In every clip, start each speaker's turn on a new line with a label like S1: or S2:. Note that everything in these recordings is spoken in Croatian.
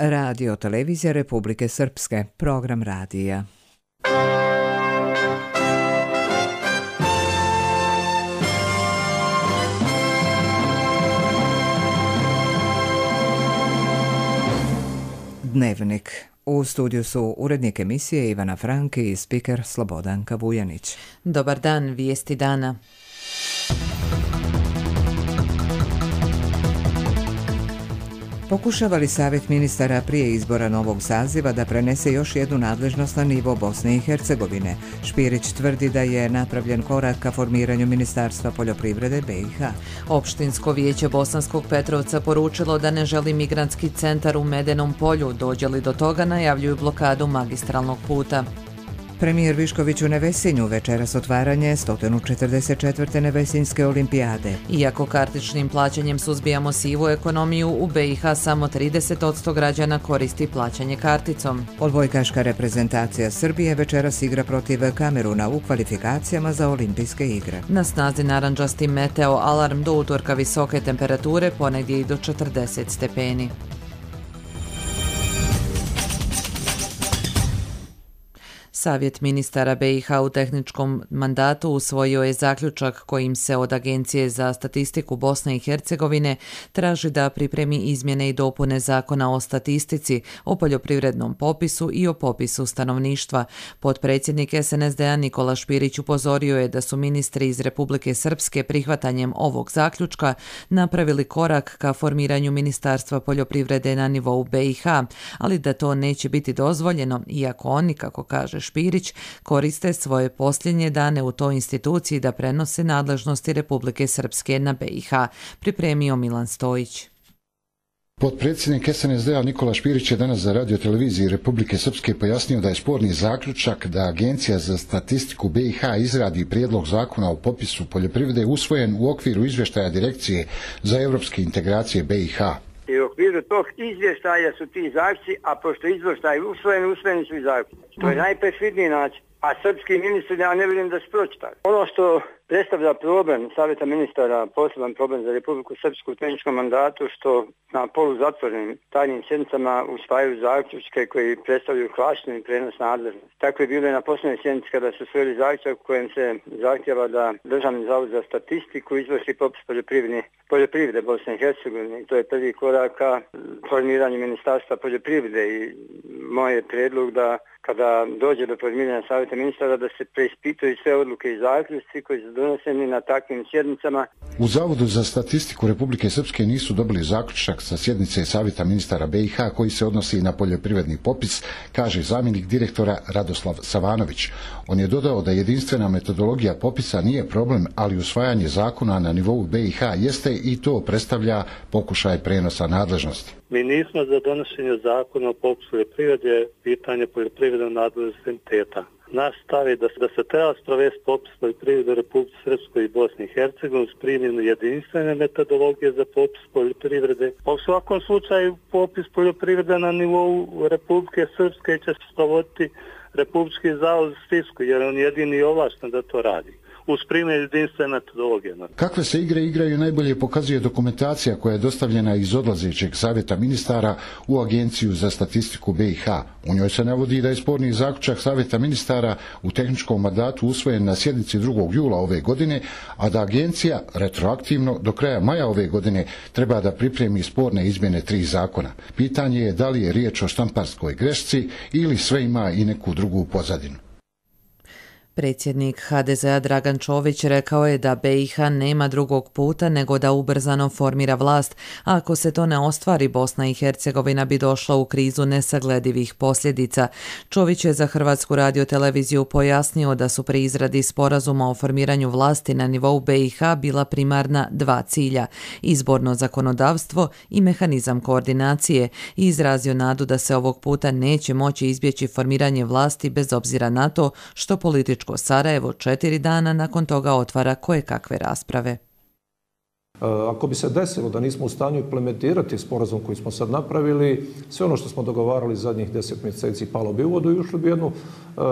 S1: Radio televizija Republike Srpske, program radija. Dnevnik. U studiju su urednik emisije Ivana Franki i spiker Slobodanka Vujanić.
S2: Dobar dan, vijesti dana.
S1: Pokušava li Savjet ministara prije izbora novog saziva da prenese još jednu nadležnost na nivo Bosne i Hercegovine? Špirić tvrdi da je napravljen korak ka formiranju Ministarstva poljoprivrede BiH.
S2: Opštinsko vijeće Bosanskog Petrovca poručilo da ne želi migrantski centar u Medenom polju. Dođe li do toga, najavljuju blokadu magistralnog puta.
S1: Premijer Višković u Nevesinju večeras otvaranje 144. Nevesinjske olimpijade.
S2: Iako kartičnim plaćanjem suzbijamo sivu ekonomiju, u BiH samo 30% građana koristi plaćanje karticom.
S1: Odbojkaška reprezentacija Srbije večeras igra protiv Kameruna u kvalifikacijama za olimpijske igre.
S2: Na snazi narandžasti meteo alarm, do utorka visoke temperature, ponegdje i do 40 stepeni. Savjet ministara BiH u tehničkom mandatu usvojio je zaključak kojim se od Agencije za statistiku Bosne i Hercegovine traži da pripremi izmjene i dopune Zakona o statistici, o poljoprivrednom popisu i o popisu stanovništva. Potpredsjednik SNSD-a Nikola Špirić upozorio je da su ministri iz Republike Srpske prihvatanjem ovog zaključka napravili korak ka formiranju Ministarstva poljoprivrede na nivou BiH, ali da to neće biti dozvoljeno, iako oni, kako kaže Špirić, koriste svoje posljednje dane u toj instituciji da prenose nadležnosti Republike Srpske na BiH, pripremio Milan Stojić.
S3: Potpredsjednik SNSD-a Nikola Špirić je danas za radio televiziji Republike Srpske pojasnio da je sporni zaključak da Agencija za statistiku BiH izradi prijedlog zakona o popisu poljoprivrede usvojen u okviru izvještaja Direkcije za europske integracije BiH.
S4: I u okviru tog izvještaja su ti zaključci, a pošto je izvještaj usvojeni su i zaključci. To je najperfidniji način. A srpski ministri, ja ne vidim da su pročitali. Ono što predstavlja problem Savjeta ministara, poseban problem za Republiku Srpsku u tehničkom mandatu, što na poluzatvorenim tajnim sjednicama usvajaju zaključke koji predstavljaju klašni prenos nadležnosti. Tako je bilo i na posljednjoj sjednici kada su usvojili zaključak u kojem se zahtjeva da Državni zavod za statistiku izvrši popis poljoprivrede Bosne i Hercegovine. To je prvi korak ka formiranju Ministarstva poljoprivrede i moj je prijedlog da kada dođe do formiranja Savjeta ministara da se preispituju sve odluke i zaključci koji su doneseni na takvim sjednicama.
S3: U Zavodu za statistiku Republike Srpske nisu dobili zaključak sa sjednice Savjeta ministara BiH koji se odnosi na poljoprivredni popis, kaže zamjenik direktora Radoslav Savanović. On je dodao da jedinstvena metodologija popisa nije problem, ali usvajanje zakona na nivou BiH jeste i to predstavlja pokušaj prenosa nadležnosti.
S5: Mi nismo za donošenje zakona o popisu poljoprivrede, pitanje poljoprivrednog nadležnosti entiteta. Naš stav je da se treba sprovesti popis poljoprivrede u Republici Srpskoj i Bosni i Hercegovini uz primjenu jedinstvene metodologije za popis poljoprivrede. Pa u svakom slučaju popis poljoprivrede na nivou Republike Srpske će se sprovoditi Republički zavod za statistiku jer on je jedini ovlašten da to radi. Uz primjer jedinstvene metodologije.
S3: Kakve se igre igraju najbolje pokazuje dokumentacija koja je dostavljena iz odlazećeg Savjeta ministara u Agenciju za statistiku BiH. U njoj se navodi da je sporni zaključak Savjeta ministara u tehničkom mandatu usvojen na sjednici 2. jula ove godine, a da agencija retroaktivno do kraja maja ove godine treba da pripremi sporne izmjene 3 zakona. Pitanje je da li je riječ o štamparskoj grešci ili sve ima i neku drugu pozadinu.
S2: Predsjednik HDZ-a Dragan Čović rekao je da BiH nema drugog puta nego da ubrzano formira vlast, a ako se to ne ostvari, Bosna i Hercegovina bi došla u krizu nesagledivih posljedica. Čović je za Hrvatsku radioteleviziju pojasnio da su pri izradi sporazuma o formiranju vlasti na nivou BiH bila primarna 2 cilja, izborno zakonodavstvo i mehanizam koordinacije, i izrazio nadu da se ovog puta neće moći izbjeći formiranje vlasti bez obzira na to što političko Sarajevo 4 dana nakon toga otvara kojekakve rasprave.
S6: Ako bi se desilo da nismo u stanju implementirati sporazum koji smo sad napravili, sve ono što smo dogovarali zadnjih 10 mjeseci palo bi u vodu i ušli bi jednu,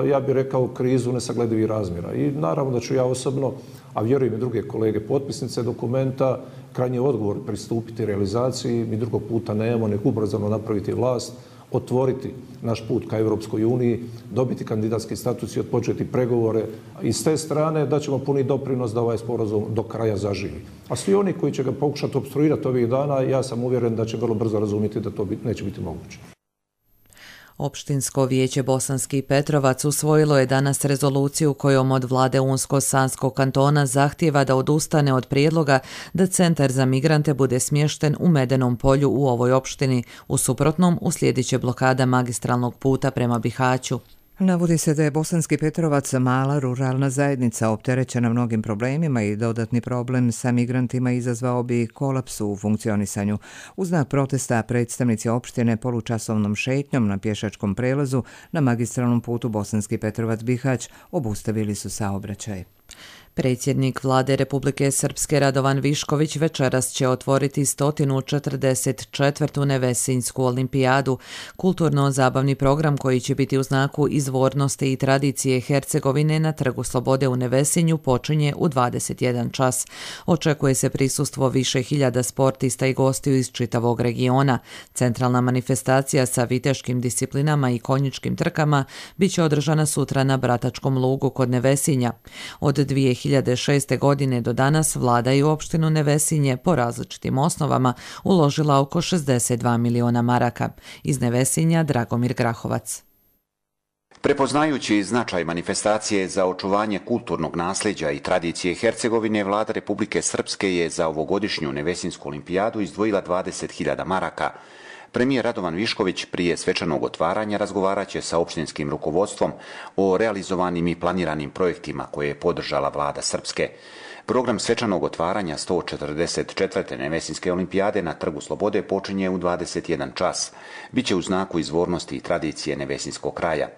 S6: ja bih rekao, krizu nesagledivih razmjera. I naravno da ću ja osobno, a vjerujem i druge kolege potpisnice dokumenta, krajnji odgovor pristupiti realizaciji. Mi drugog puta nemamo, nek ubrzano napraviti vlast, otvoriti naš put ka Europskoj uniji, dobiti kandidatski status i odpočeti pregovore. I s te strane da ćemo puni doprinos da ovaj sporazum do kraja zaživi. A svi oni koji će ga pokušati opstruirati ovih dana, ja sam uvjeren da će vrlo brzo razumjeti da to neće biti moguće.
S2: Opštinsko vijeće Bosanski Petrovac usvojilo je danas rezoluciju kojom od vlade Unsko-Sanskog kantona zahtijeva da odustane od prijedloga da centar za migrante bude smješten u Medenom polju u ovoj opštini. U suprotnom uslijedit će blokada magistralnog puta prema Bihaću.
S1: Navodi se da je Bosanski Petrovac mala ruralna zajednica opterećena mnogim problemima i dodatni problem sa migrantima izazvao bi kolaps u funkcionisanju. U znak protesta predstavnici opštine polučasovnom šetnjom na pješačkom prelazu na magistralnom putu Bosanski Petrovac-Bihać obustavili su saobraćaj.
S2: Predsjednik vlade Republike Srpske Radovan Višković večeras će otvoriti 144. Nevesinjsku olimpijadu, kulturno-zabavni program koji će biti u znaku izvornosti i tradicije Hercegovine na Trgu Slobode u Nevesinju počinje u 21 čas. Očekuje se prisustvo više hiljada sportista i gostiju iz čitavog regiona. Centralna manifestacija sa viteškim disciplinama i konjičkim trkama biće održana sutra na Bratačkom lugu kod Nevesinja. Od 2006. godine do danas vlada i u opštinu Nevesinje po različitim osnovama uložila oko 62 miliona maraka. Iz Nevesinja Dragomir Grahovac.
S7: Prepoznajući značaj manifestacije za očuvanje kulturnog nasljeđa i tradicije Hercegovine, vlada Republike Srpske je za ovogodišnju Nevesinsku olimpijadu izdvojila 20.000 maraka. Premijer Radovan Višković prije svečanog otvaranja razgovarat će sa opštinskim rukovodstvom o realizovanim i planiranim projektima koje je podržala vlada Srpske. Program svečanog otvaranja 144. Nevesinske olimpijade na Trgu Slobode počinje u 21 čas. Biće u znaku izvornosti i tradicije Nevesinskog kraja.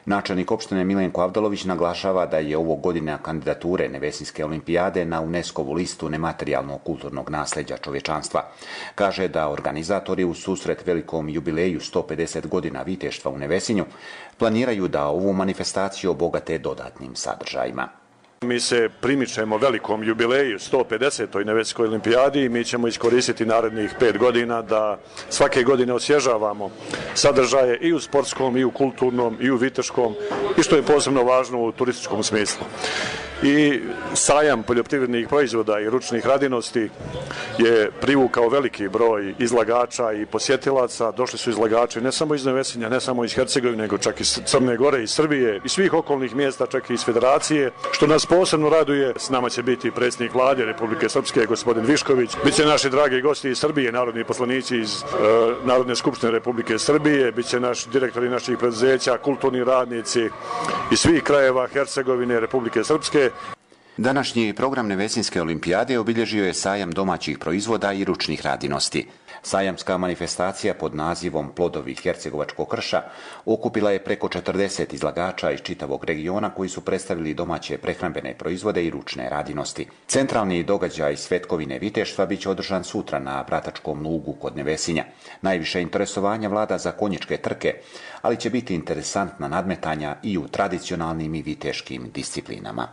S7: Načelnik opštine Milenko Avdalović naglašava da je ovo godina kandidature Nevesinske olimpijade na UNESCO-vu listu nematerijalnog kulturnog nasljeđa čovječanstva. Kaže da organizatori u susret velikom jubileju 150 godina viteštva u Nevesinju planiraju da ovu manifestaciju obogate dodatnim sadržajima.
S8: Mi se primičemo velikom jubileju 150. Nevesinskoj olimpijadi i mi ćemo iskoristiti narednih 5 godina da svake godine osvježavamo sadržaje i u sportskom, i u kulturnom, i u viteškom i što je posebno važno u turističkom smislu. I sajam poljoprivrednih proizvoda i ručnih radinosti je privukao veliki broj izlagača i posjetilaca. Došli su izlagači ne samo iz Nevesinja, ne samo iz Hercegovine, nego čak iz Crne Gore, iz Srbije i svih okolnih mjesta, čak i iz Federacije. Što nas posebno raduje, s nama će biti predsjednik vlade Republike Srpske, gospodin Višković. Biće naši dragi gosti iz Srbije, narodni poslanici iz Narodne skupštine Republike Srbije, biće naši direktori naših preduzeća, kulturni radnici iz svih krajeva Hercegovine, Republike Srpske.
S7: Današnji program Nevesinske olimpijade obilježio je sajam domaćih proizvoda i ručnih radinosti. Sajamska manifestacija pod nazivom Plodovi hercegovačkog krša okupila je preko 40 izlagača iz čitavog regiona koji su predstavili domaće prehrambene proizvode i ručne radinosti. Centralni događaj Svetkovine viteštva biće održan sutra na Bratačkom lugu kod Nevesinja. Najviše interesovanja vlada za konjičke trke, ali će biti interesantna nadmetanja i u tradicionalnim i viteškim disciplinama.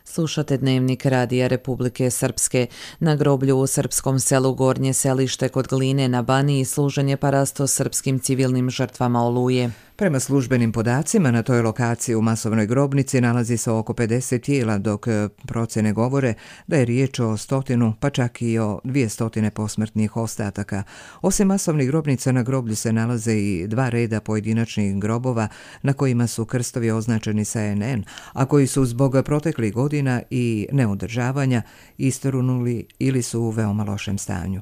S2: Slušate Dnevnik Radija Republike Srpske. Na groblju u srpskom selu Gornje Selište kod Gline na Baniji služen je parasto srpskim civilnim žrtvama Oluje.
S1: Prema službenim podacima, na toj lokaciji u masovnoj grobnici nalazi se oko 50 tijela, dok procjene govore da je riječ o 100, pa čak i o 200 posmrtnih ostataka. Osim masovnih grobnica, na groblju se nalaze i 2 reda pojedinačnih grobova na kojima su krstovi označeni sa NN, a koji su zbog proteklih godina i neodržavanja istorunuli ili su u veoma lošem stanju.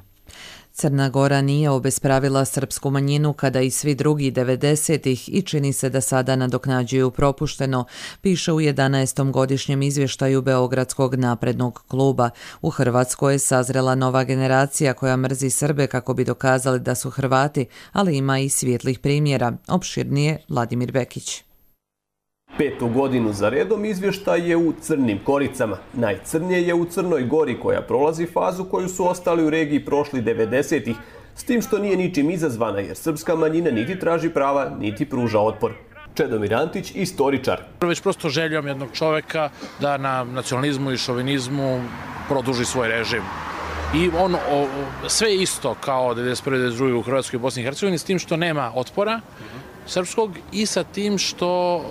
S2: Crna Gora nije obespravila srpsku manjinu kada i svi drugi 90-ih i čini se da sada nadoknađuju propušteno, piše u 11. godišnjem izvještaju Beogradskog naprednog kluba. U Hrvatskoj je sazrela nova generacija koja mrzi Srbe kako bi dokazali da su Hrvati, ali ima i svijetlih primjera. Opširnije Vladimir Bekić.
S9: 5. godinu za redom izvještaj je u crnim koricama. Najcrnije je u Crnoj Gori koja prolazi fazu koju su ostali u regiji prošli 90-ih, s tim što nije ničim izazvana jer srpska manjina niti traži prava, niti pruža otpor. Čedomir Antić, istoričar.
S10: Već prosto željom jednog čoveka da na nacionalizmu i šovinizmu produži svoj režim. I on sve isto kao 1991. 1992. u Hrvatskoj i Bosni i Hercegovini, s tim što nema otpora srpskog i sa tim što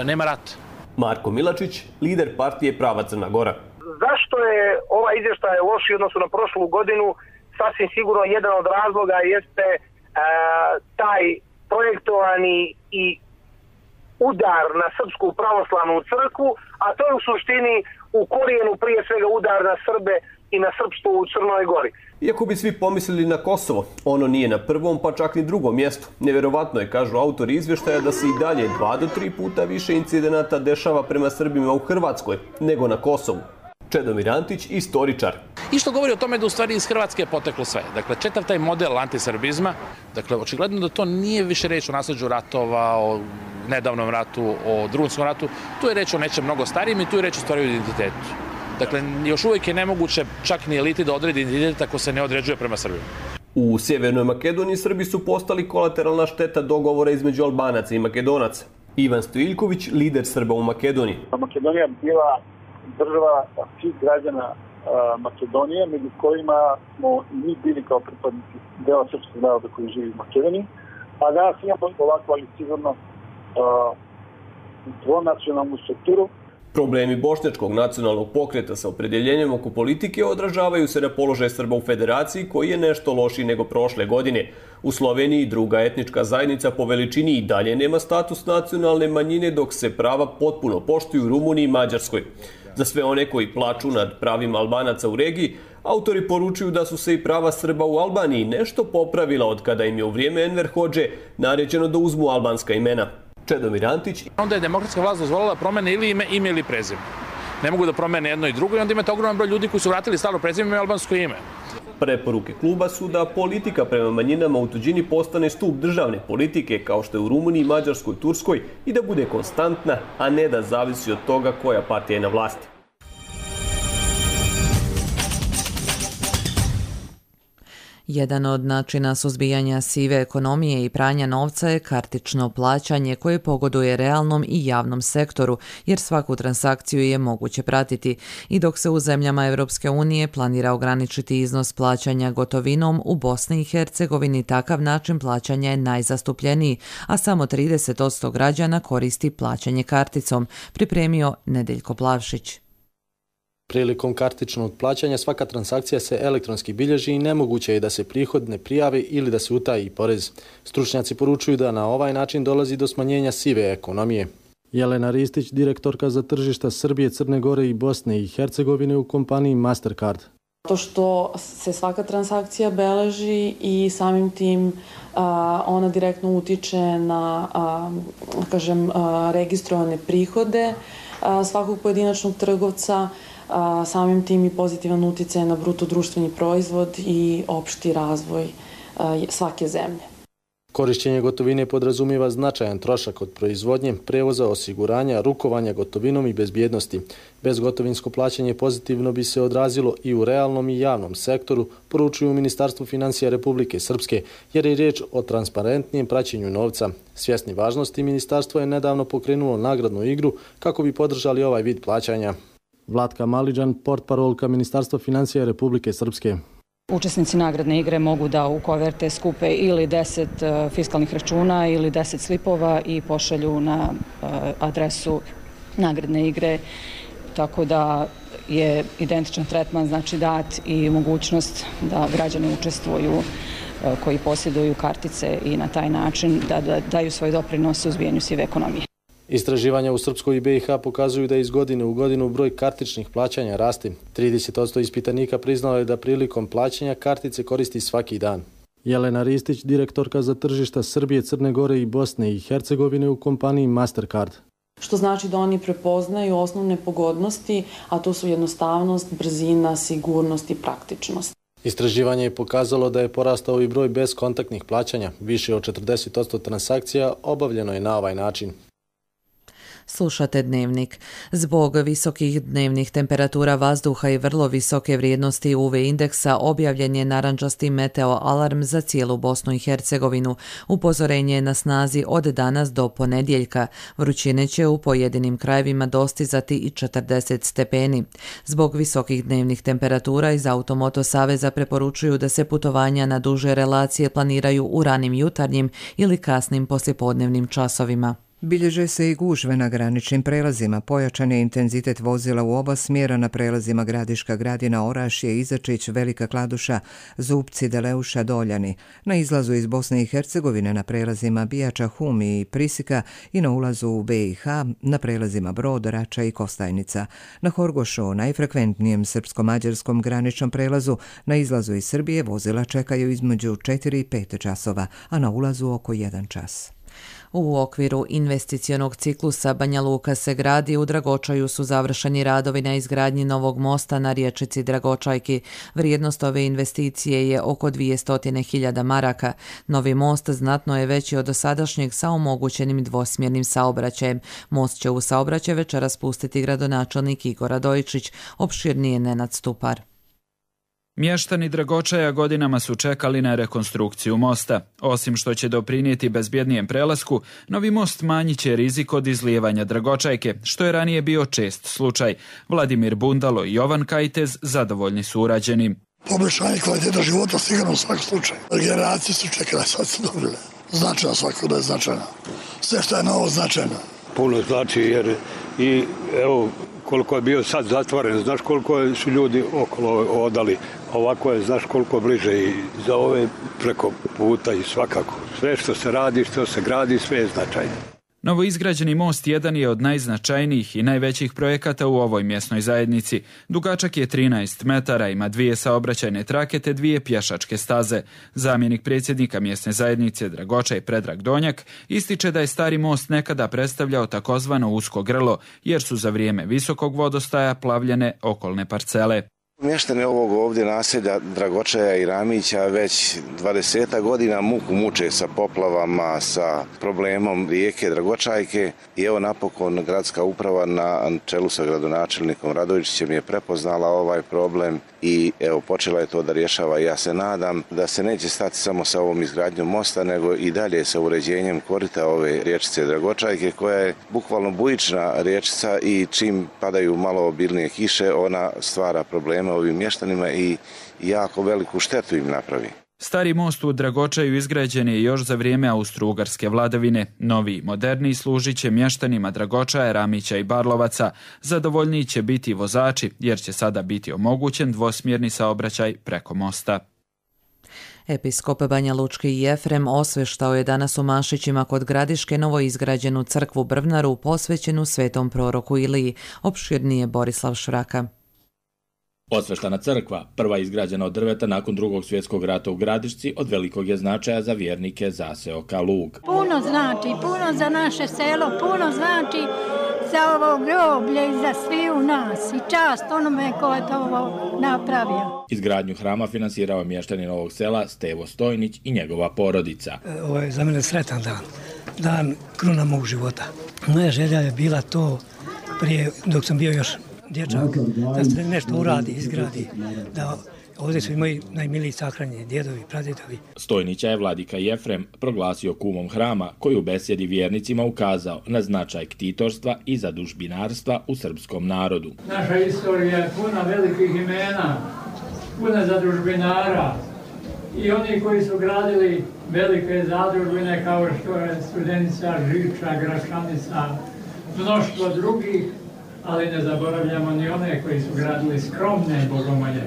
S10: nema rata.
S9: Marko Milačić, lider partije Prava Crna Gora.
S11: Zašto je ovaj izvještaj lošiji u odnosu na prošlu godinu? Sasvim sigurno jedan od razloga jeste taj projektovani i udar na Srpsku pravoslavnu crkvu, a to je u suštini u korijenu prije svega udar na Srbe i na srpstvo u Crnoj Gori.
S9: Iako bi svi pomislili na Kosovo, ono nije na prvom pa čak ni drugom mjestu. Nevjerovatno je, kažu autori izvještaja, da se i dalje 2 do 3 puta više incidenata dešava prema Srbima u Hrvatskoj nego na Kosovu. Čedomir Antić, istoričar.
S10: I što govori o tome da u stvari iz Hrvatske je poteklo sve. Dakle, čitav taj model antisrbizma, dakle, očigledno da to nije više reč o nasleđu ratova, o nedavnom ratu, o Drugom svjetskom ratu, tu je reč o nečem mnogo starijem i tu je reč o stvari o identitetu. Dakle, još uvijek je nemoguće čak ni eliti da odredi identitet ako se ne određuje prema Srbima.
S9: U Sjevernoj Makedoniji Srbi su postali kolateralna šteta dogovora između Albanaca i Makedonaca. Ivan Stojiljković, lider Srba u Makedoniji.
S12: Makedonija bila država svih građana Makedonije, među kojima smo i mi bili kao pripadnici dela srpskog naroda koji živi u Makedoniji. A danas imamo ovako, ali sigurno dvonacionalnu strukturu.
S9: Problemi bošnjačkog nacionalnog pokreta sa opredjeljenjem oko politike odražavaju se na položaj Srba u federaciji koji je nešto lošiji nego prošle godine. U Sloveniji druga etnička zajednica po veličini i dalje nema status nacionalne manjine, dok se prava potpuno poštuju u Rumuniji i Mađarskoj. Za sve one koji plaču nad pravima Albanaca u regiji, autori poručuju da su se i prava Srba u Albaniji nešto popravila od kada im je u vrijeme Enver Hodže naređeno da uzmu albanska imena. Čedomir Antić.
S10: Onda je demokratska vlast dozvolila promene ili ime ili prezime. Ne mogu da promene jedno i drugo i onda imate ogroman broj ljudi koji su vratili staro prezime i albansko ime.
S9: Preporuke kluba su da politika prema manjinama u tuđini postane stup državne politike kao što je u Rumuniji, Mađarskoj, Turskoj i da bude konstantna, a ne da zavisi od toga koja partija je na vlasti.
S2: Jedan od načina suzbijanja sive ekonomije i pranja novca je kartično plaćanje koje pogoduje realnom i javnom sektoru, jer svaku transakciju je moguće pratiti. I dok se u zemljama Europske unije planira ograničiti iznos plaćanja gotovinom, u Bosni i Hercegovini takav način plaćanja je najzastupljeniji, a samo 30% građana koristi plaćanje karticom, pripremio Nedeljko Plavšić.
S13: Prilikom kartičnog plaćanja svaka transakcija se elektronski bilježi i nemoguće je da se prihod ne prijavi ili da se utaji porez. Stručnjaci poručuju da na ovaj način dolazi do smanjenja sive ekonomije. Jelena Ristić, direktorka za tržišta Srbije, Crne Gore i Bosne i Hercegovine u kompaniji Mastercard.
S14: To što se svaka transakcija beleži i samim tim ona direktno utiče na registrovane prihode svakog pojedinačnog trgovca, samim tim i pozitivan utjecaj na bruto društveni proizvod i opšti razvoj svake zemlje.
S13: Korišćenje gotovine podrazumijeva značajan trošak od proizvodnje, prevoza, osiguranja, rukovanja gotovinom i bezbjednosti. Bezgotovinsko plaćanje pozitivno bi se odrazilo i u realnom i javnom sektoru, poručuju u Ministarstvu financija Republike Srpske, jer je riječ o transparentnijem praćenju novca. Svjesni važnosti, ministarstvo je nedavno pokrenulo nagradnu igru kako bi podržali ovaj vid plaćanja. Vlatka Maliđan, portparolka Ministarstva financija Republike Srpske.
S15: Učesnici nagradne igre mogu da u koverte skupe ili 10 fiskalnih računa ili 10 slipova i pošalju na adresu nagradne igre, tako da je identičan tretman znači dat i mogućnost da građani učestvuju koji posjeduju kartice i na taj način da daju svoj doprinos u suzbijanju sive ekonomije.
S13: Istraživanja u Srpskoj i BiH pokazuju da iz godine u godinu broj kartičnih plaćanja raste. 30% ispitanika priznalo je da prilikom plaćanja kartice koristi svaki dan. Jelena Ristić, direktorka za tržišta Srbije, Crne Gore i Bosne i Hercegovine u kompaniji Mastercard.
S14: Što znači da oni prepoznaju osnovne pogodnosti, a to su jednostavnost, brzina, sigurnost i praktičnost.
S13: Istraživanje je pokazalo da je porastao i broj bezkontaktnih plaćanja. Više od 40% transakcija obavljeno je na ovaj način.
S2: Slušate Dnevnik. Zbog visokih dnevnih temperatura vazduha i vrlo visoke vrijednosti UV indeksa objavljen je narančasti meteo alarm za cijelu Bosnu i Hercegovinu. Upozorenje je na snazi od danas do ponedjeljka. Vrućine će u pojedinim krajevima dostizati i 40 stepeni. Zbog visokih dnevnih temperatura iz Automoto Saveza preporučuju da se putovanja na duže relacije planiraju u ranim jutarnjim ili kasnim poslijepodnevnim časovima.
S1: Bilježe se i gužve na graničnim prelazima. Pojačan je intenzitet vozila u oba smjera na prelazima Gradiška Gradina, Orašje, Izačić, Velika Kladuša, Zupci, Deleuša, Doljani. Na izlazu iz Bosne i Hercegovine na prelazima Bijača, Humi i Prisika i na ulazu u BiH na prelazima Brod, Rača i Kostajnica. Na Horgošu, najfrekventnijem srpsko-mađarskom graničnom prelazu, na izlazu iz Srbije vozila čekaju između 4 i 5 časova, a na ulazu oko 1 čas.
S2: U okviru investicionog ciklusa Banja Luka se gradi, u Dragočaju su završeni radovi na izgradnji novog mosta na riječici Dragočajki. Vrijednost ove investicije je oko 200.000 maraka. Novi most znatno je veći od dosadašnjeg sa omogućenim dvosmjernim saobraćajem. Most će u saobraćaj večeras pustiti gradonačelnik Igor Radojičić, opširnije Nenad Stupar.
S16: Mještani Dragočaja godinama su čekali na rekonstrukciju mosta. Osim što će doprinijeti bezbjednijem prelasku, novi most manjit će rizik od izlijevanja Dragočajke, što je ranije bio čest slučaj. Vladimir Bundalo i Jovan Kajtez zadovoljni su urađenim.
S17: Poboljšanje kvaliteta života sigurno u svakom slučaju. Generacije su čekale, sad su dobile. Značajno svako da je značajno. Sve što je novo značajno.
S18: Puno znači jer i evo koliko je bio sad zatvoren, znaš koliko su ljudi okolo odali, ovako je, znaš koliko bliže i za ove preko puta i svakako. Sve što se radi, što se gradi, sve je značajno.
S16: Novoizgrađeni most jedan je od najznačajnijih i najvećih projekata u ovoj mjesnoj zajednici. Dugačak je 13 metara, ima 2 saobraćajne trake te 2 pješačke staze. Zamjenik predsjednika mjesne zajednice Dragočaj Predrag Donjak ističe da je stari most nekada predstavljao takozvano usko grlo, jer su za vrijeme visokog vodostaja plavljene okolne parcele.
S19: Mještani ovog ovdje naselja Dragočaja i Ramića već 20 godina muku muče sa poplavama, sa problemom rijeke Dragočajke i evo napokon gradska uprava na čelu sa gradonačelnikom Radojičićem je prepoznala ovaj problem i evo počela je to da rješava. Ja se nadam da se neće stati samo sa ovom izgradnjom mosta, nego i dalje sa uređenjem korita ove riječice Dragočajke, koja je bukvalno bujična riječica i čim padaju malo obilnije kiše ona stvara probleme ovim mještanima i jako veliku štetu im napravi.
S16: Stari most u Dragočaju izgrađen je još za vrijeme austro-ugarske vladavine. Novi, moderniji služit će mještanima Dragočaja, Ramića i Barlovaca. Zadovoljniji će biti vozači, jer će sada biti omogućen dvosmjerni saobraćaj preko mosta.
S2: Episkop Banja Lučki Jefrem osveštao je danas u Mašićima kod Gradiške novoizgrađenu crkvu Brvnaru posvećenu svetom proroku Iliji. Opširnije Borislav Švraka.
S20: Osveštana crkva, prva izgrađena od drveta nakon Drugog svjetskog rata u Gradišci, od velikog je značaja za vjernike zaseoka Lug.
S21: Puno znači, puno za naše selo, puno znači za ovo groblje i za svi u nas i čast onome ko je to ovo napravio.
S20: Izgradnju hrama finansirao je mještanin ovog sela Stevo Stojnić i njegova porodica.
S22: Ovo je za mene sretan dan, dan kruna mog života. Moja želja je bila to prije, dok sam bio još dječak, da se nešto uradi, izgradi, da ovdje su i moji najmiliji sahranjeni, djedovi, pradjedovi.
S20: Stojnića je vladika Jefrem proglasio kumom hrama, koji u besjedi vjernicima ukazao na značaj ktitorstva i zadužbinarstva u srpskom narodu.
S23: Naša istorija je puna velikih imena, puna zadužbinara i oni koji su gradili velike zadužbine kao što je Studenica, Žiča, Gračanica, mnoštvo drugih, ali ne zaboravljamo ni one koji su gradili skromne bogomolje.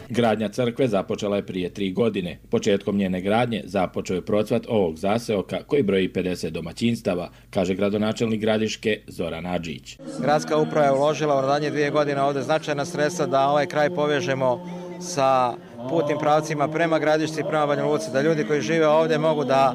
S20: Gradnja crkve započela je prije 3 godine. Početkom njene gradnje započeo je procvat ovog zaseoka koji broji 50 domaćinstava, kaže gradonačelnik Gradiške Zoran Adžić.
S24: Gradska uprava je uložila u zadnje 2 godine ovdje značajna sredstva da ovaj kraj povežemo sa putnim pravcima prema Gradišci i prema Banja Luci, da ljudi koji žive ovdje mogu da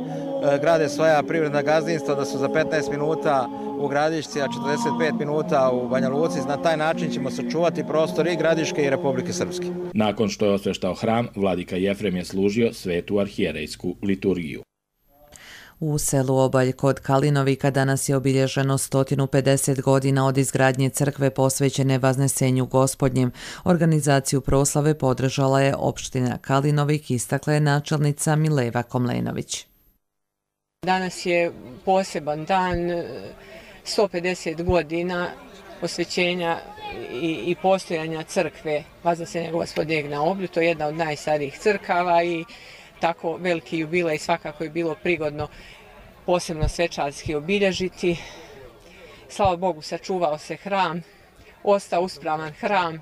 S24: grade svoja privredna gazdinstva, da su za 15 minuta u Gradišci, a 45 minuta u Banja Luci. Na taj način ćemo sačuvati prostor i Gradiške i Republike Srpske.
S20: Nakon što je osveštao hram, vladika Jefrem je služio svetu arhijerejsku liturgiju.
S2: U selu Obalj kod Kalinovika danas je obilježeno 150 godina od izgradnje crkve posvećene Vaznesenju Gospodnjem. Organizaciju proslave podržala je opština Kalinovik, istakla je načelnica Mileva Komlenović.
S3: Danas je poseban dan, 150 godina posvećenja i postojanja crkve Vaznesenja Gospodnjeg na Oblju. To je jedna od najstarijih crkava i tako veliki jubilej svakako je bilo prigodno posebno svečarski obilježiti. Slava Bogu, sačuvao se hram, ostao uspravan hram,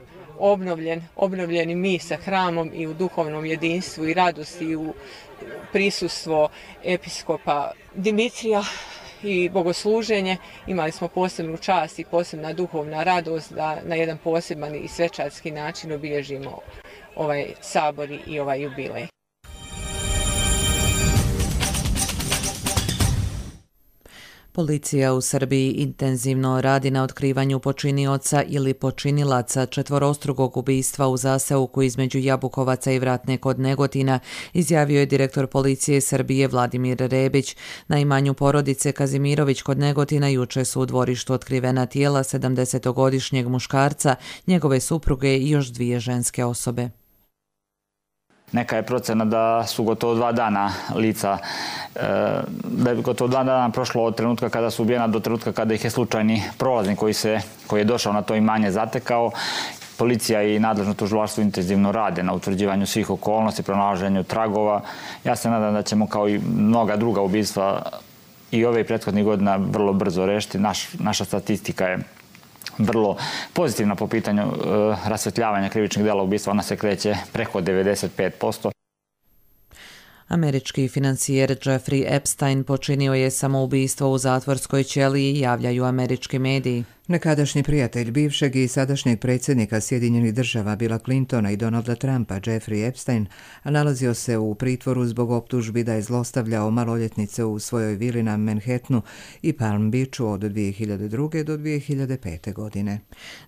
S3: obnovljen i mi sa hramom i u duhovnom jedinstvu i radosti i u prisustvu episkopa Dimitrija i bogosluženje. Imali smo posebnu čast i posebna duhovna radost da na jedan poseban i svečarski način obilježimo ovaj sabor i ovaj jubilej.
S2: Policija u Srbiji intenzivno radi na otkrivanju počinioca ili počinilaca četvorostrukog ubistva u zaseoku između Jabukovaca i Vratne kod Negotina, izjavio je direktor policije Srbije Vladimir Rebić. Na imanju porodice Kazimirović kod Negotina juče su u dvorištu otkrivena tijela 70-godišnjeg muškarca, njegove supruge i još 2 ženske osobe.
S4: Neka je procena da su gotovo 2 dana lica, da je gotovo 2 dana prošlo od trenutka kada su ubijena do trenutka kada ih je slučajni prolaznik koji je došao na to imanje zatekao. Policija i nadležno tužilaštvo intenzivno rade na utvrđivanju svih okolnosti, pronalaženju tragova. Ja se nadam da ćemo kao i mnoga druga ubistva i ove prethodnih godina vrlo brzo rešiti. Naša statistika je vrlo pozitivna po pitanju rasvetljavanja krivičnih dela ubistva, ona se kreće preko 95%.
S2: Američki financijer Jeffrey Epstein počinio je samoubistvo u zatvorskoj ćeliji, javljaju američki mediji.
S1: Nekadašnji prijatelj bivšeg i sadašnjeg predsjednika Sjedinjenih država Billa Clintona i Donalda Trumpa, Jeffrey Epstein, nalazio se u pritvoru zbog optužbi da je zlostavljao maloljetnice u svojoj vili na Manhattanu i Palm Beachu od 2002. do 2005. godine.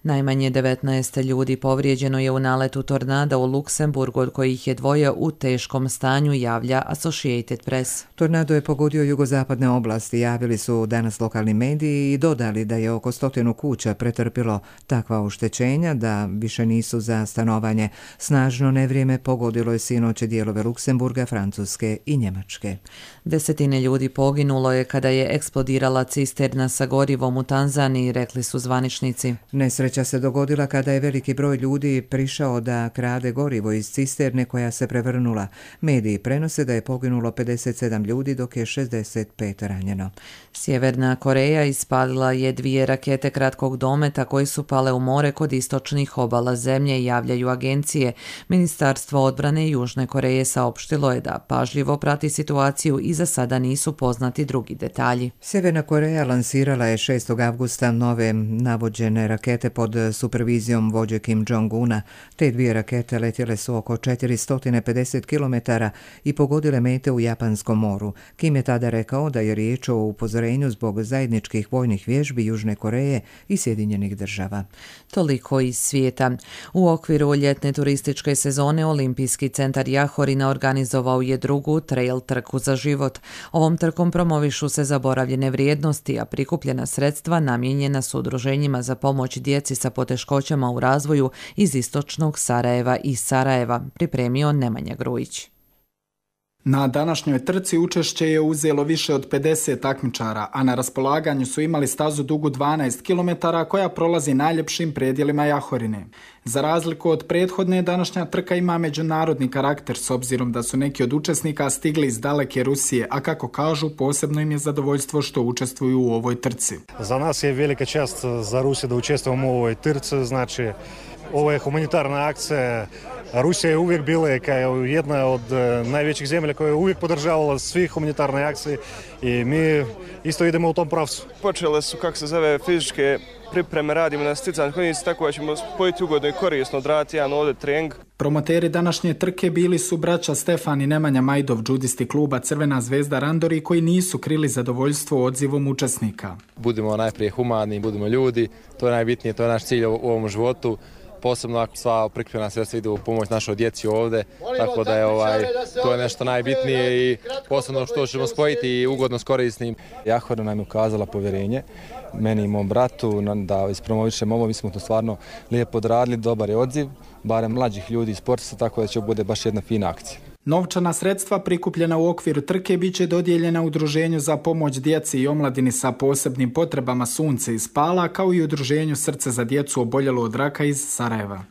S2: Najmanje 19 ljudi povrijeđeno je u naletu tornada u Luksemburgu, od kojih je 2 u teškom stanju, javlja Associated Press.
S1: Tornado je pogodio jugozapadne oblasti, javili su danas lokalni mediji i dodali da je oko 100 kuća pretrpilo takva oštećenja da više nisu za stanovanje. Snažno nevrijeme pogodilo je sinoć dijelove Luksemburga, Francuske i Njemačke.
S2: 10 ljudi poginulo je kada je eksplodirala cisterna sa gorivom u Tanzaniji, rekli su zvaničnici.
S1: Nesreća se dogodila kada je veliki broj ljudi prišao da krade gorivo iz cisterne koja se prevrnula. Mediji prenose da je poginulo 57 ljudi dok je 65 ranjeno.
S2: Sjeverna Koreja ispalila je 2 rakete kratkog dometa koji su pale u more kod istočnih obala zemlje, javljaju agencije. Ministarstvo odbrane Južne Koreje saopštilo je da pažljivo prati situaciju i za sada nisu poznati drugi detalji.
S1: Sjeverna Koreja lansirala je 6. avgusta nove navođene rakete pod supervizijom vođe Kim Jong-una. Te 2 rakete letjele su oko 450 km i pogodile mete u Japanskom moru. Kim je tada rekao da je riječ o upozorenju zbog zajedničkih vojnih vježbi Južne Koreje i Sjedinjenih država.
S2: Toliko iz svijeta. U okviru ljetne turističke sezone Olimpijski centar Jahorina organizovao je 2. trail trku za život. Ovom trkom promovišu se zaboravljene vrijednosti, a prikupljena sredstva namijenjena su udruženjima za pomoć djeci sa poteškoćama u razvoju iz istočnog Sarajeva i Sarajeva, pripremio Nemanja Grujić.
S5: Na današnjoj trci učešće je uzelo više od 50 takmičara, a na raspolaganju su imali stazu dugu 12 km koja prolazi najljepšim predjelima Jahorine. Za razliku od prethodne, današnja trka ima međunarodni karakter s obzirom da su neki od učesnika stigli iz daleke Rusije, a kako kažu, posebno im je zadovoljstvo što učestvuju u ovoj trci.
S6: Za nas je velika čast za Rusiju da učestvujemo u ovoj trci, znači ovo je humanitarna akcija. Rusija je uvijek bila kao jedna od najvećih zemlja koja je uvijek podržavala svih humanitarne akcije i mi isto idemo u tom pravcu.
S25: Počele su, fizičke pripreme, radimo na sticanju konjici, tako da ćemo spojiti ugodno i korisno odraditi jedan ovdje trening.
S5: Promoteri današnje trke bili su braća Stefan i Nemanja Majdov, džudisti kluba Crvena zvezda Randori, koji nisu krili zadovoljstvo odzivom učesnika.
S26: Budimo najprije humani, budimo ljudi, to je najbitnije, to je naš cilj u ovom životu.
S7: posebno ako sva prikupljena sredstva idu u pomoć našoj djeci ovde, tako da je to je nešto najbitnije i posebno što ćemo spojiti i ugodno s korisnim.
S8: Jahora nam je ukazala povjerenje, meni i mom bratu, da ispromovišemo ovo, mi smo to stvarno lijepo odradili, dobar je odziv, barem mlađih ljudi iz sportista, tako da će bude baš jedna fina akcija.
S5: Novčana sredstva prikupljena u okviru trke bit će dodijeljena Udruženju za pomoć djeci i omladini sa posebnim potrebama Sunce iz Pala, kao i Udruženju Srce za djecu oboljelu od raka iz Sarajeva.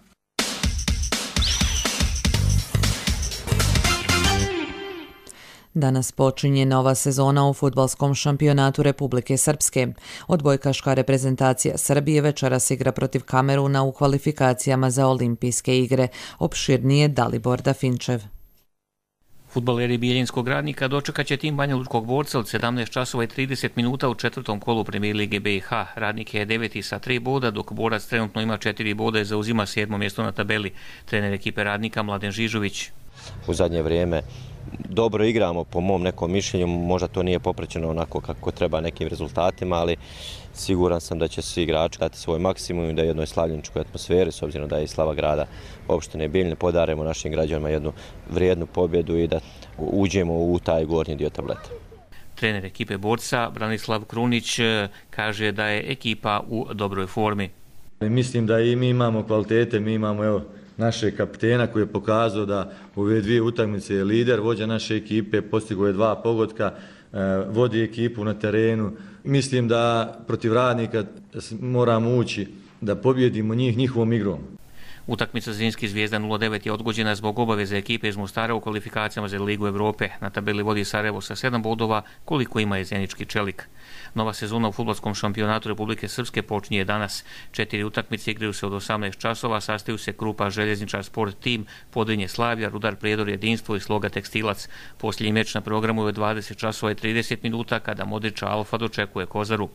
S2: Danas počinje nova sezona u fudbalskom šampionatu Republike Srpske. Odbojkaška reprezentacija Srbije večeras igra protiv Kameruna u kvalifikacijama za olimpijske igre. Opširnije Dalibor Dafinčev.
S10: Fudbaleri Bijeljinskog Radnika dočekat će tim Banja Lučkog Borca od 17 časova i 30 minuta u četvrtom kolu Premijer Lige BiH. Radnik je 9. sa 3 boda, dok Borac trenutno ima 4 boda i zauzima 7. mjesto na tabeli. Trener ekipe Radnika Mladen Žižović.
S11: U zadnje vrijeme dobro igramo, po mom nekom mišljenju, možda to nije popraćeno onako kako treba nekim rezultatima, ali siguran sam da će svi igrači dati svoj maksimum i da jednoj slavljeničkoj atmosferi, s obzirom da je i slava grada opštine Bijeljine, podarimo našim građanima jednu vrijednu pobjedu i da uđemo u taj gornji dio tableta.
S10: Trener ekipe Borca Branislav Krunić kaže da je ekipa u dobroj formi.
S12: Mislim da i mi imamo kvalitete, mi imamo našeg kapitena koji je pokazao da u ove dvije utakmice je lider, vođa naše ekipe, postigao je 2 pogotka, vodi ekipu na terenu. Mislim da protiv Radnika moramo ući da pobjedimo njih njihovom igrom.
S10: Utakmica Zrinski Zvijezda 09 je odgođena zbog obaveze ekipe iz Mostara u kvalifikacijama za Ligu Evrope. Na tabeli vodi Sarajevo sa 7 bodova, koliko ima je Zenički Čelik. Nova sezona u fudbalskom šampionatu Republike Srpske počinje danas. 4 utakmice igraju se od 18 časova, sastaju se Krupa Željezničar Sport Tim, Podrinje Slavlja, Rudar Prijedor Jedinstvo i Sloga Tekstilac. Posljednji meč na programu je 20 časova i 30 minuta kada Modrića Alfa dočekuje Kozaru.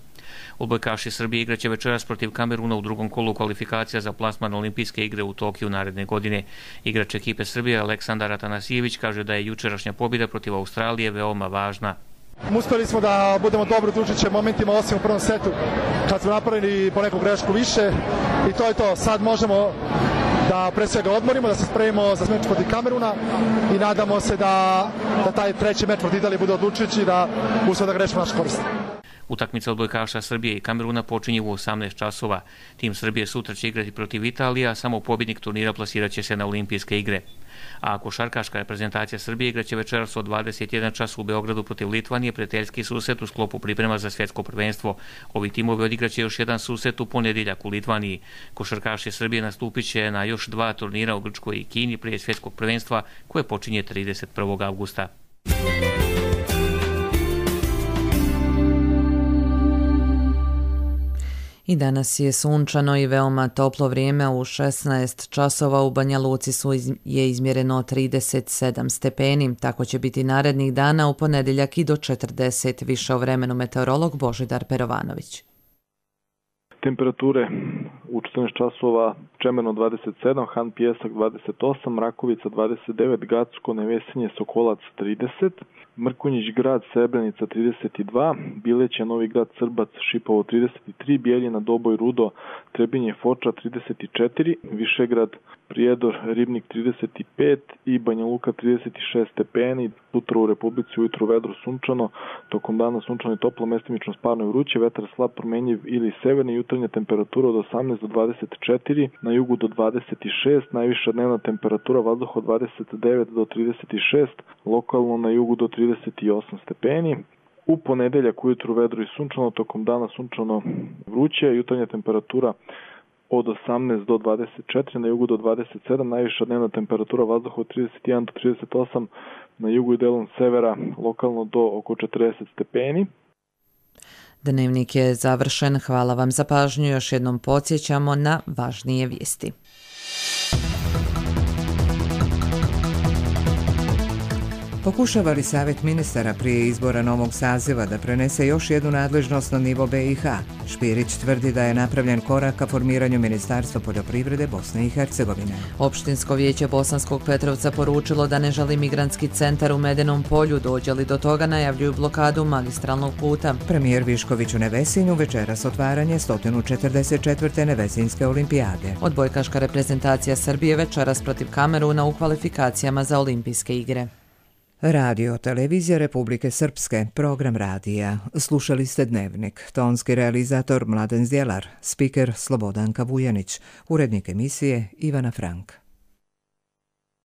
S10: Odbojkaši Srbije igraće večeras protiv Kameruna u drugom kolu kvalifikacija za plasman olimpijske igre u Tokiju naredne godine. Igrač ekipe Srbije Aleksandar Atanasijević kaže da je jučerašnja pobjeda protiv Australije veoma važna.
S26: Uspjeli smo da budemo dobro družiće momentima, osim u prvom setu kad smo napravili po neku grešku više i to je to. Sad možemo da pre svega odmorimo, da se spremimo za meč protiv Kameruna i nadamo se da taj treći meč protiv Italije bude odlučujući, da uspijemo da grešimo naš korist.
S10: Utakmica odbojkaša Srbije i Kameruna počinje u 18 časova. Tim Srbije sutra će igrati protiv Italije, a samo pobjednik turnira plasirat će se na olimpijske igre. A košarkaška reprezentacija Srbije igraće večeras od 21 čas u Beogradu protiv Litvanije, prijateljski susret u sklopu priprema za svjetsko prvenstvo. Ovi timovi odigraće još jedan susret u ponedjeljak u Litvaniji. Košarkaši Srbije nastupit će na još 2 turnira u Grčkoj i Kini prije svjetskog prvenstva koje počinje 31. avgusta.
S2: I danas je sunčano i veoma toplo vrijeme. U 16 časova u Banja Luci je izmjereno 37 stepeni. Tako će biti narednih dana, u ponedjeljak i do 40. Više o vremenu meteorolog Božidar Perovanović.
S27: Temperature u 14 časova: Čemerno 27, Han Pijesak 28, Rakovica 29, Gacko, Nevesinje, Sokolac 30, Mrkonjić Grad, Srebrenica 32, Bileće, Novi Grad, Srbac, Šipovo 33, Bijeljina, Doboj, Rudo, Trebinje, Foča 34, Višegrad, Prijedor, Ribnik 35 i Banja Luka 36 stepeni. Sutra u Republici ujutru vedro, sunčano, tokom dana sunčano i toplo, mestimično sparno i vruće, vetar slab promenjiv ili severni, jutarnja temperatura od 18 do 24, na jugu do 26, najviša dnevna temperatura vazduha od 29 do 36, lokalno na jugu do 38 stepeni. U ponedeljak ujutru vedro i sunčano, tokom dana sunčano vruće, jutarnja temperatura od 18 do 24, na jugu do 27, najviša dnevna temperatura vazduha od 31 do 38, na jugu i delom severa, lokalno do oko 40 stepeni.
S2: Dnevnik je završen. Hvala vam za pažnju. Još jednom podsjećamo na važnije vijesti.
S1: Pokušava li Savjet ministara prije izbora novog saziva da prenese još jednu nadležnost na nivo BiH? Špirić tvrdi da je napravljen korak ka formiranju Ministarstva poljoprivrede Bosne i Hercegovine.
S2: Opštinsko vijeće Bosanskog Petrovca poručilo da ne želi migrantski centar u Medenom polju, dođe li do toga najavljuju blokadu magistralnog puta.
S1: Premijer Višković u Nevesinju večeras otvaranje 144. Nevesinjske olimpijade.
S2: Odbojkaška reprezentacija Srbije večeras protiv Kameruna u kvalifikacijama za olimpijske igre.
S1: Radio Televizija Republike Srpske, program radija. Slušali ste Dnevnik. Tonski realizator Mladen Zdjelar, spiker Slobodanka Vujanić, urednik emisije Ivana Frank.